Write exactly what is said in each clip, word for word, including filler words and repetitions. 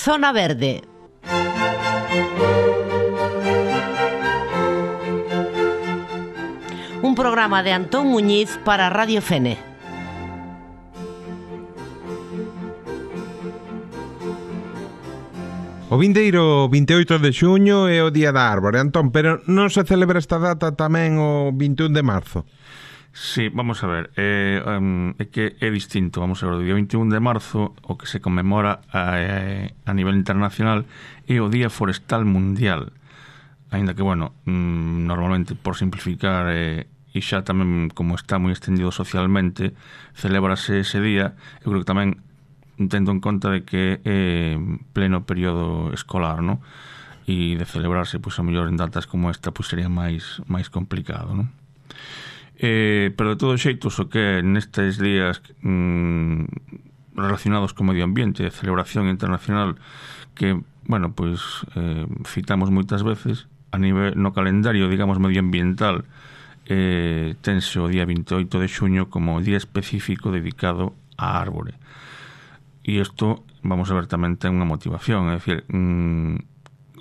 Zona Verde. Un programa de Antón Muñiz para Radio Fene. O vindeiro vinte e oito de xuño é o Día da Árbore, Antón, pero non se celebra esta data tamén o vinte e un de marzo? Sí, vamos a ver, é, um, é que é distinto, vamos a ver, o día vinte e un de marzo o que se conmemora a, a nivel internacional é o Día Forestal Mundial, aínda que, bueno, mm, normalmente, por simplificar, eh, e xa tamén como está moi extendido socialmente, celébrase ese día, eu creo que tamén tendo en conta de que é pleno período escolar, ¿no? E de celebrarse, pois, a mellor en datas como esta, pois sería máis máis complicado, ¿no? Eh, pero de todos xeitos, o que nestes días mmm, relacionados co medio ambiente, de celebración internacional, que, bueno, pois eh, citamos moitas veces, a nivel no calendario, digamos, medioambiental, eh, tense o día vinte e oito de xuño como día específico dedicado á árbore. E isto, vamos a ver, tamén ten unha motivación, é dicir, mmm,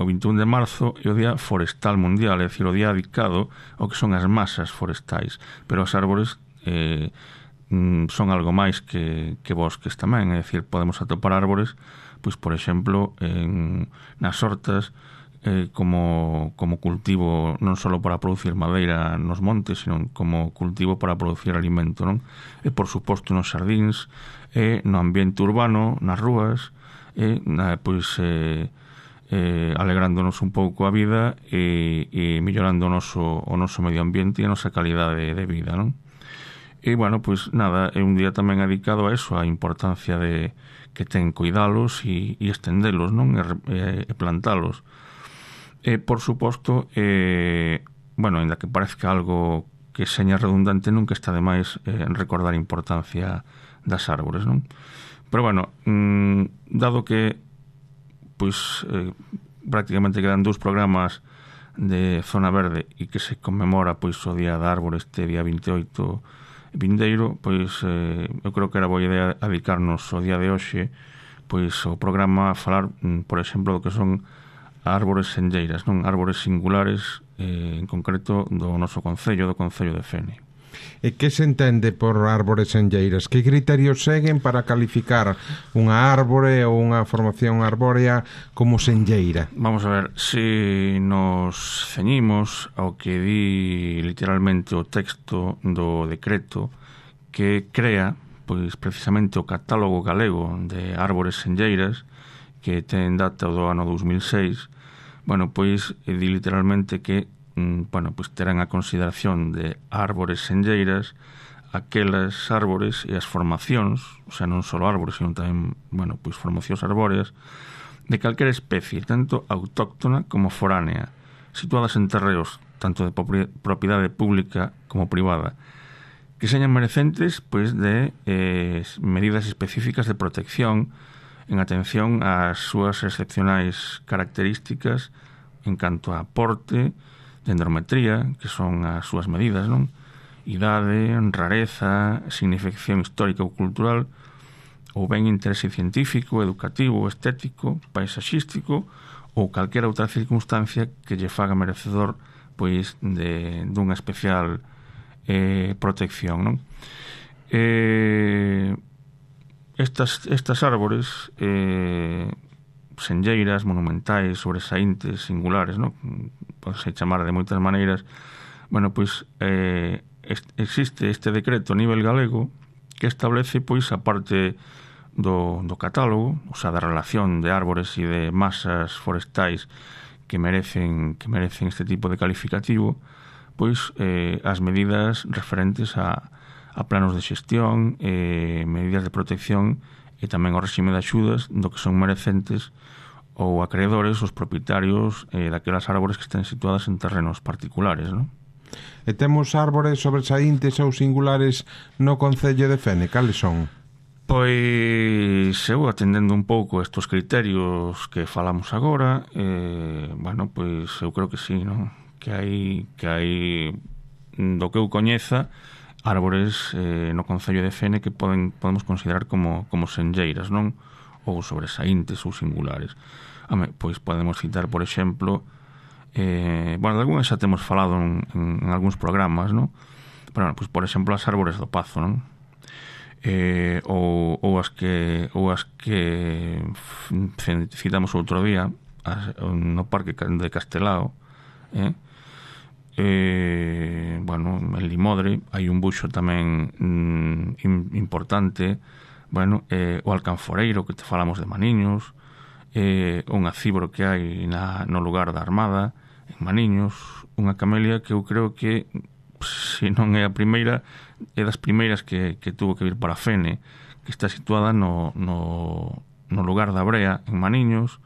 o vinte e un de marzo é o Día Forestal Mundial, é dicir, o día dedicado ao que son as masas forestais, pero as árbores eh, son algo máis que, que bosques tamén, é dicir, podemos atopar árbores, pois, por exemplo, en, nas hortas, eh, como, como cultivo non só para producir madeira nos montes, sino como cultivo para producir alimento, non? E, por suposto, nos xardíns, e no ambiente urbano, nas rúas, e, na, pois, eh, eh, alegrándonos un pouco a vida e, e mellorando o noso, o noso medio ambiente e a nosa calidade de vida, non? E, bueno, pois nada, é un día tamén dedicado a eso, a importancia de que ten cuidalos e, e estendelos, non? E, e plantalos. E, por suposto, eh, bueno, ainda que parezca algo que seña redundante, nunca está de máis eh, recordar a importancia das árbores, non? Pero, bueno, mmm, dado que pois eh, prácticamente quedan dous programas de Zona Verde e que se conmemora pois o Día da Árbore este día vinte e oito vindeiro, pois eh, eu creo que era boa idea dedicarnos o día de hoxe pois o programa a falar, por exemplo, do que son árbores senlleiras, non? Árbores singulares, eh, en concreto do noso concello, do Concello de Fene. E que se entende por árbores senlleiras? Que criterios seguen para calificar unha árbore ou unha formación arbórea como senlleira? Vamos a ver, se nos ceñimos ao que di literalmente o texto do decreto que crea, pois precisamente o catálogo galego de árbores senlleiras, que ten data do ano dous mil seis, bueno, pois di literalmente que bueno, pois terán a consideración de árbores senlleiras aquelas árbores e as formacións, o sea, non só árbores, sino tamén, bueno, pois formacións arbóreas de calquera especie, tanto autóctona como foránea, situadas en terreos tanto de propiedade pública como privada, que señan merecentes pois de eh, medidas específicas de protección en atención ás súas excepcionais características en canto a porte, dendrometría, que son as súas medidas, non? Idade, rareza, significación histórica ou cultural, ou ben interese científico, educativo, estético, paisaxístico ou calquera outra circunstancia que lle faga merecedor pois de dunha especial eh, protección, non? Eh, estas, estas árbores eh, senlleiras, monumentais, sobresaíntes, singulares, non? Podese chamar de moitas maneiras. Bueno, pois eh, existe este decreto a nivel galego que establece, pois, a parte do, do catálogo, o sea, da relación de árbores e de masas forestais que merecen que merecen este tipo de calificativo, pois eh, as medidas referentes a, a planos de xestión, eh, medidas de protección e tamén o réxime de axudas do que son merecentes ou acreedores os propietarios eh, daquelas árbores que estén situadas en terrenos particulares, non? E temos árbores sobresaíntes ou singulares no Concello de Fene, cales son? Pois eu atendendo un pouco estes criterios que falamos agora, eh, bueno, pois eu creo que sí, non? Que hai, que hai do que eu coñeza árbores eh, no Concello de Fene que poden podemos considerar como, como senlleiras, non? ou sobresaíntes ou singulares. Home, pois podemos citar, por exemplo, eh, bueno, de algunhas xa temos falado en, en, en algúns programas, non? Pero, bueno, pois, por exemplo, as árbores do Pazo, non? Eh, ou, ou as que ou as que citamos outro día as, no Parque de Castelao, eh? Eh, bueno, en Limodre hai un buxo tamén mm, importante, bueno, eh, o alcanforeiro que te falamos de Maniños, eh, un acíboro que hai na, no lugar da Armada en Maniños, unha camelia que eu creo que se non é a primeira, é das primeiras que, que tuvo que vir para Fene, que está situada no, no, no lugar da Brea, en Maniños,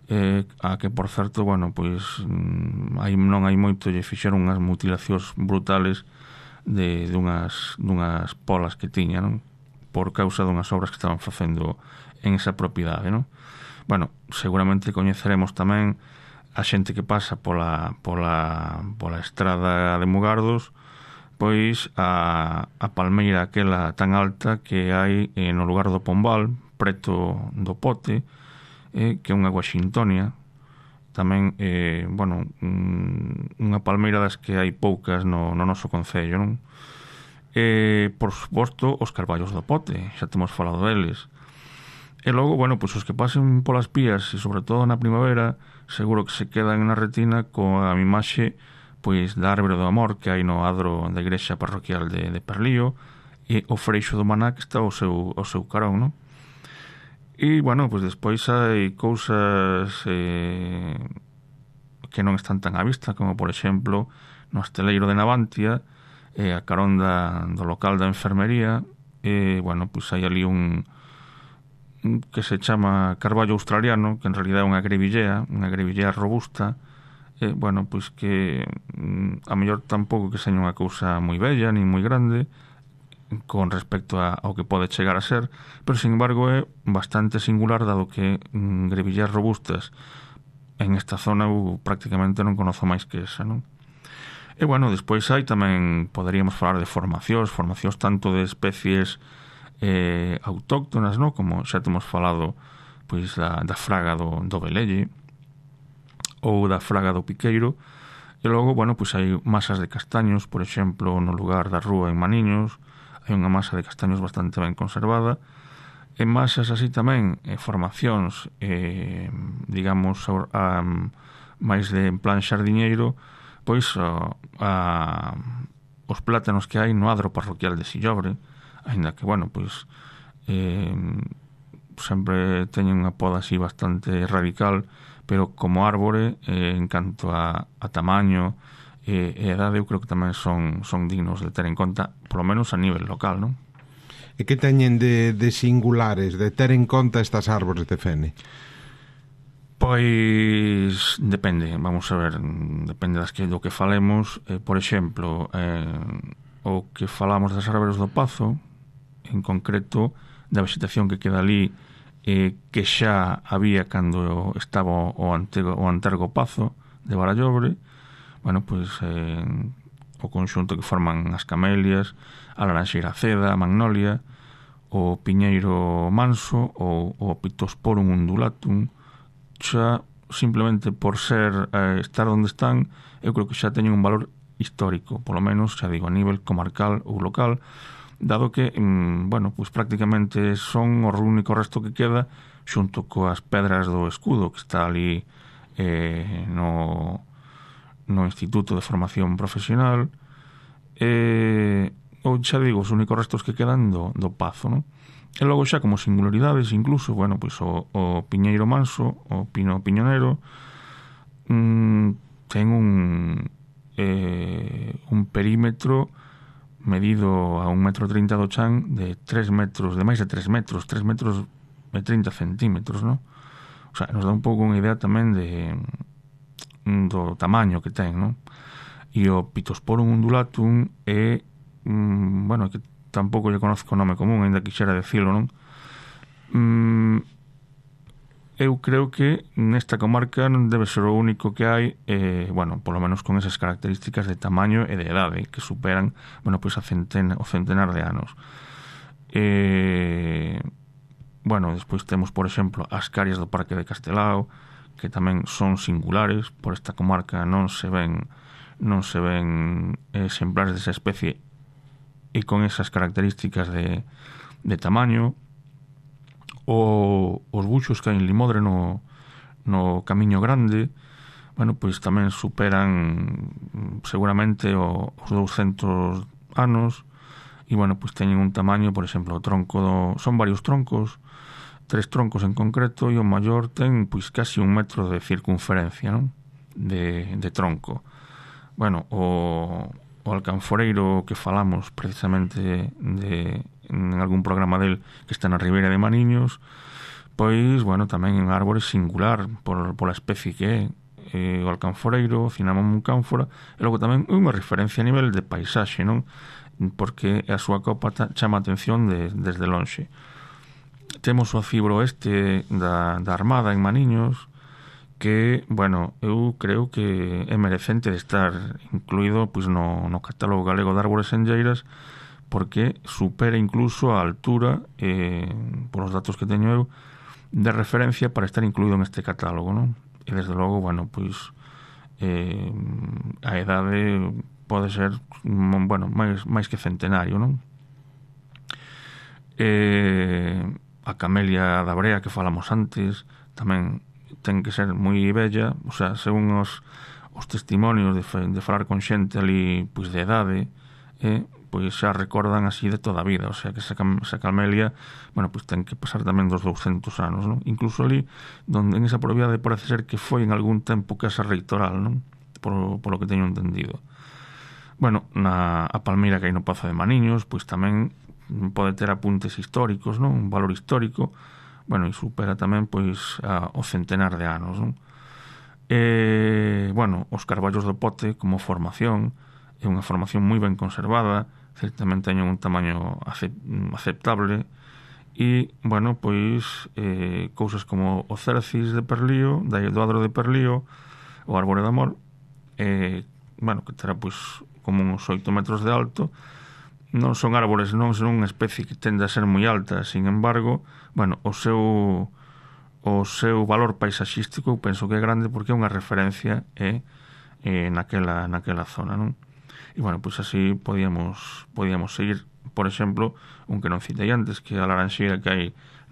eh, a que, por certo, bueno, pois hai, non hai moito, lle fixeron unhas mutilacións brutales de, de unhas, dunhas polas que tiña, non? Por causa dunhas obras que estaban facendo en esa propiedade, non? Bueno, seguramente coñeceremos tamén a xente que pasa pola, pola, pola estrada de Mugardos, pois a, a palmeira aquela tan alta que hai eh, no lugar do Pombal, preto do Pote, eh, que é unha guaxintonia, tamén, eh, bueno, unha palmeira das que hai poucas no, no noso concello, non? Eh, por suposto, os carballos do Pote, xa temos falado deles. E logo, bueno, pois os que pasen polas pías e sobre todo na primavera, seguro que se quedan na retina coa imaxe pois da árbore do amor que hai no adro da igrexa parroquial de, de Perlío e o freixo do Maná que está ao seu, ao seu carón, non? E, bueno, pois despois hai cousas eh, que non están tan á vista, como, por exemplo, no Esteleiro de Navantia, eh, a carón da, do local da enfermería, e, bueno, pois hai ali un que se chama carballo australiano, que en realidad é unha grevillea, unha grevillea robusta, eh, bueno, pois que mm, a mellor tampouco que seña unha cousa moi bella, nin moi grande, con respecto a, ao que pode chegar a ser, pero, sin embargo, é bastante singular, dado que mm, grevilleas robustas en esta zona eu prácticamente non conozo máis que esa, non? E, bueno, despois hai tamén, poderíamos falar de formacións, formacións tanto de especies Eh, autóctonas, no? Como xa temos falado, pois da, da fraga do, do Velelle ou da fraga do Piqueiro. E logo, bueno, pois hai masas de castaños, por exemplo, no lugar da Rúa en Maniños, hai unha masa de castaños bastante ben conservada. E masas así tamén, eh, formacións, eh, digamos, a, a, máis de en plan xardiñeiro, pois a, a, os plátanos que hai no adro parroquial de Sillobre, ainda que, bueno, pois eh, sempre teñen unha poda así bastante radical, pero como árbore, eh, en canto a, a tamaño e eh, edade, eu creo que tamén son, son dignos de ter en conta, polo menos a nivel local, non? E que teñen de, de singulares, de ter en conta estas árbores de Fene? Pois depende, vamos a ver, depende das que, do que falemos. Eh, por exemplo, eh, o que falamos das árbores do Pazo, en concreto da vegetación que queda ali, eh, que xa había cando estaba o antigo, o antergo Pazo de Barallobre, bueno, pois eh, o conxunto que forman as camelias, a laranxeira ceda, a magnolia, o piñeiro manso, ou o Pittosporum undulatum, xa simplemente por ser eh, estar onde están, eu creo que xa teñen un valor histórico, polo menos, xa digo, a nivel comarcal ou local, dado que, bueno, pois prácticamente son o único resto que queda xunto coas pedras do escudo que está ali eh, no, no Instituto de Formación Profesional, eh, ou xa digo, os únicos restos que quedan do, do Pazo, non? E logo xa como singularidades, incluso, bueno, pois o, o Piñeiro Manso, o Pino Piñonero, mmm, ten un eh, un perímetro medido a un metro trinta do chan de tres metros, de máis de tres metros, tres metros e trinta centímetros, non? O sea, nos dá un pouco unha idea tamén de do tamaño que ten, non? E o Pittosporum undulatum é, mm, bueno, que tampouco lle conozco o nome común, ainda quixera decilo, non? Mm, eu creo que nesta comarca non debe ser o único que hai, eh, bueno, polo menos con esas características de tamaño e de edade que superan, bueno, pois a centena, o centenar de anos. Eh, bueno, despois temos, por exemplo, as carias do Parque de Castelao, que tamén son singulares. Por esta comarca non se ven non se ven exemplares desa especie e con esas características de, de tamaño. O, os buxos que hai en Limodre no, no Camiño Grande, bueno, pois tamén superan seguramente o, os douscentos anos, e bueno, pois teñen un tamaño, por exemplo, o tronco do, son varios troncos, tres troncos en concreto, e o maior ten pois casi un metro de circunferencia, non? De, de tronco. Bueno, o, o alcanforeiro que falamos precisamente de, en algún programa del que está na Ribeira de Maniños, pois, bueno, tamén en árbore singular por, por a especie que é, eh, o alcanforeiro, o Cinnamomum cánfora, e logo tamén unha referencia a nivel de paisaxe, non? Porque a súa copa chama a atención de, desde lonxe. Temos o acibro este da, da Armada en Maniños, que, bueno, eu creo que é merecente de estar incluído pois no, no catálogo galego de árbores senlleiras, porque supera incluso a altura, eh, por os datos que teño eu, de referencia para estar incluído en este catálogo, non? E desde logo, bueno, pois eh, a edade pode ser, bueno, máis, máis que centenario, non? Eh, a camelia da brea que falamos antes tamén ten que ser moi bella, o sea, según os, os testimonios de, de falar con xente ali pois de edade, eh, pois xa recordan así de toda a vida, o sea que esa, esa camelia, bueno, pois ten que pasar tamén dos douscentos anos, non? Incluso ali, donde en esa propiedade parece ser que foi en algún tempo casa reitoral, non? Por, por lo que teño entendido. Bueno, na a palmeira que hai no Pazo de Maniños, pois tamén pode ter apuntes históricos, non? Un valor histórico, bueno, e supera tamén pois a, o centenar de anos, non? E, bueno, os carballos do Pote como formación é unha formación moi ben conservada, certamente teñen un tamaño aceptable, e, bueno, pois eh, cousas como o Cercis de Perlío, do Adro de Perlío, o Árbore de Amor, eh, bueno, que terá pois como uns oito metros de alto. Non son árbores, non son unha especie que tende a ser moi alta, sin embargo, bueno, o seu o seu valor paisaxístico eu penso que é grande porque é unha referencia eh, eh, naquela, naquela zona, non? E, bueno, pois así podíamos podíamos seguir, por exemplo, un que non citei antes, que é a laranxeira que hai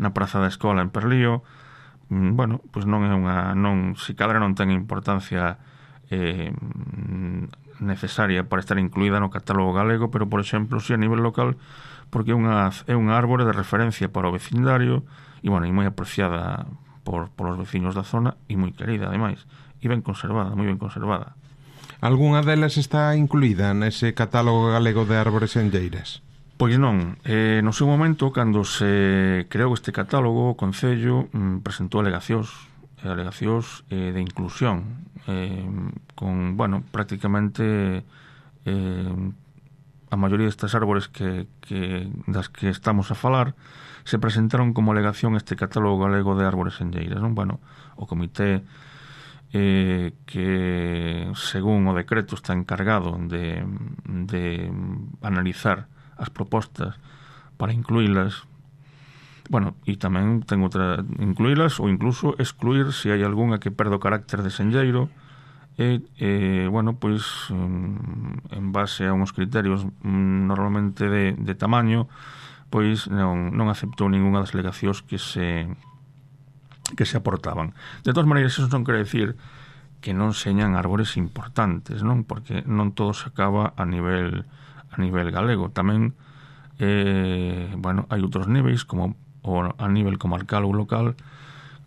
na Praza da Escola en Perlío. Bueno, pois non é unha, non, se cadra non ten importancia eh, necesaria para estar incluída no catálogo galego, pero, por exemplo, si a nivel local, porque é unha, é unha árbore de referencia para o vecindario e, bueno, e moi apreciada por, por os veciños da zona e moi querida, ademais, e ben conservada, moi ben conservada. Algúnha delas está incluída nese catálogo galego de árbores senlleiras? Pois non. Eh, no seu momento, cando se creou este catálogo, o Concello mm, presentou alegacións, alegacións eh, de inclusión, eh, con, bueno, prácticamente eh, a maioría destas árbores que, que das que estamos a falar se presentaron como alegación este catálogo galego de árbores senlleiras, non? Bueno, o comité eh, que, según o decreto, está encargado de, de analizar as propostas para incluílas, bueno, e tamén ten outra, incluílas ou incluso excluir se hai algunha que perde o carácter de senlleiro e, e bueno, pois en base a unhos criterios normalmente de, de tamaño, pois non, non aceptou ningunha das alegacións que se que se aportaban. De todas maneiras, eso non quere decir que non señan árbores importantes, non? Porque non todo se acaba a nivel a nivel galego. Tamén eh, bueno, hai outros niveis como o a nivel comarcal ou local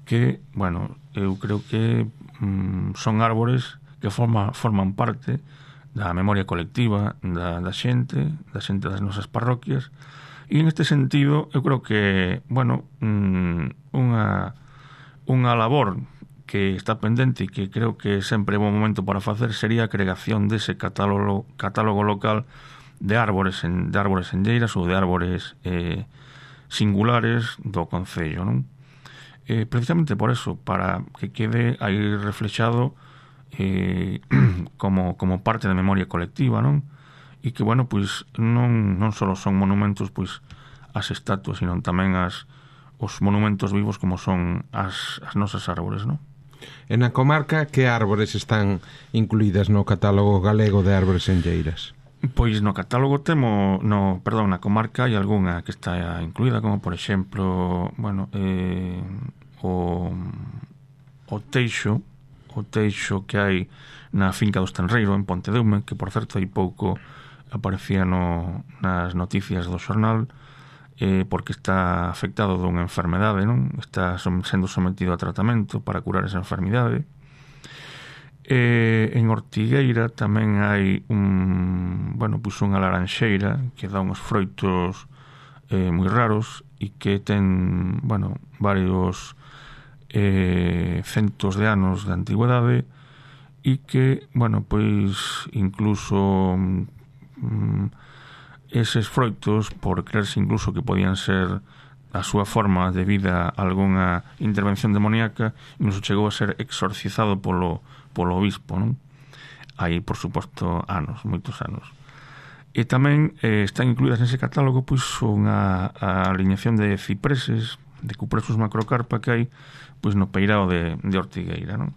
que, bueno, eu creo que mm, son árbores que forma, forman parte da memoria colectiva da, da xente, da xente das nosas parroquias, e en este sentido eu creo que, bueno, mm, unha unha labor que está pendente e que creo que sempre é bom momento para facer sería a creación dese catálogo, catálogo local de árbores en, de árbores senlleiras ou de árbores eh, singulares do Concello, non? Eh, precisamente por eso, para que quede aí reflexado eh, como, como parte da memoria colectiva, non? E que, bueno, pois non, non só son monumentos pois as estatuas, sino tamén as os monumentos vivos como son as, as nosas árbores, non? En a comarca, que árbores están incluídas no catálogo galego de árbores enlleiras? Pois no catálogo temo, no, perdón, na comarca hai algunha que está incluída, como por exemplo, bueno, eh, o, o teixo, o teixo que hai na finca do Estenreiro en Pontedeume, que por certo hai pouco aparecía no, nas noticias do xornal, eh, porque está afectado dunha enfermedade, non? Está sendo sometido a tratamento para curar esa enfermidade. Eh, en Ortigueira tamén hai un, bueno, pues unha laranxeira que dá uns froitos eh, moi raros e que ten, bueno, varios eh, centos de anos de antigüedade e que, bueno, pois incluso mm, eses froitos, por creerse incluso que podían ser a súa forma debido a algunha intervención demoníaca, incluso chegou a ser exorcizado polo polo obispo, non? Hai, por suposto, anos, moitos anos. E tamén eh, están incluídas nese catálogo pois unha a alineación de cipreses, de Cupressus macrocarpa que hai pois no peirao de, de Ortigueira, non?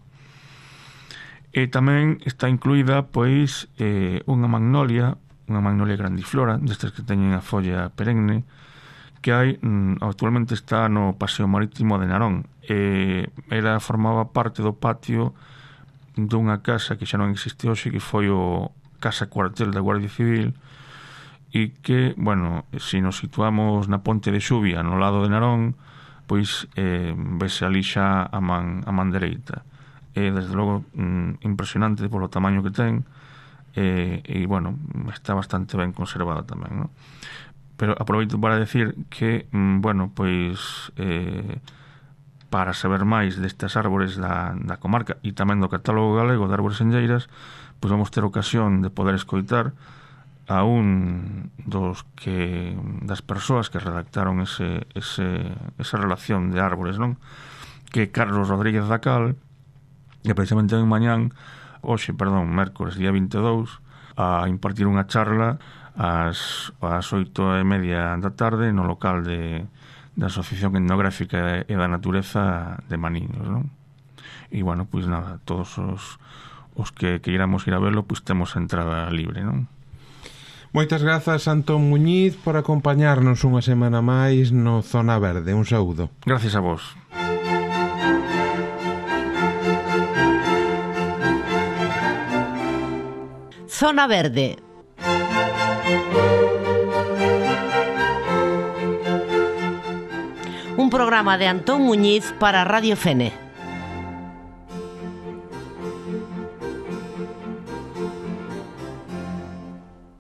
E tamén está incluída pois eh, unha magnolia, unha magnolia grandiflora, destas que teñen a folla perenne, que hai, mm, actualmente está no Paseo Marítimo de Narón. Eh, era formaba parte do patio dunha casa que xa non existe hoxe, que foi o casa cuartel da Guardia Civil, e que, bueno, se nos situamos na Ponte de Xuvia no lado de Narón, pois eh, vese ali xa a man, a man dereita. E, desde logo, mm, impresionante polo tamaño que ten, e, e, bueno, está bastante ben conservada tamén, non? Pero aproveito para decir que, mm, bueno, pois eh, para saber máis destas árbores da, da comarca e tamén do catálogo galego de árbores enlleiras, pois vamos ter ocasión de poder escoitar a un dos que das persoas que redactaron ese, ese, esa relación de árbores, non? Que Carlos Rodríguez Dacal, que precisamente en mañán, hoxe, perdón, mércores, día vinte e dous, a impartir unha charla ás, ás oito e media da tarde no local de da Asociación Etnográfica e da Natureza de Maniños, non? E, bueno, pois nada, todos os, os que queiramos ir a verlo, pois temos entrada libre, non? Moitas grazas, Antón Muñiz, por acompañarnos unha semana máis no Zona Verde. Un saúdo. Gracias a vos. Zona Verde. Un programa de Antón Muñiz para Radio Fene.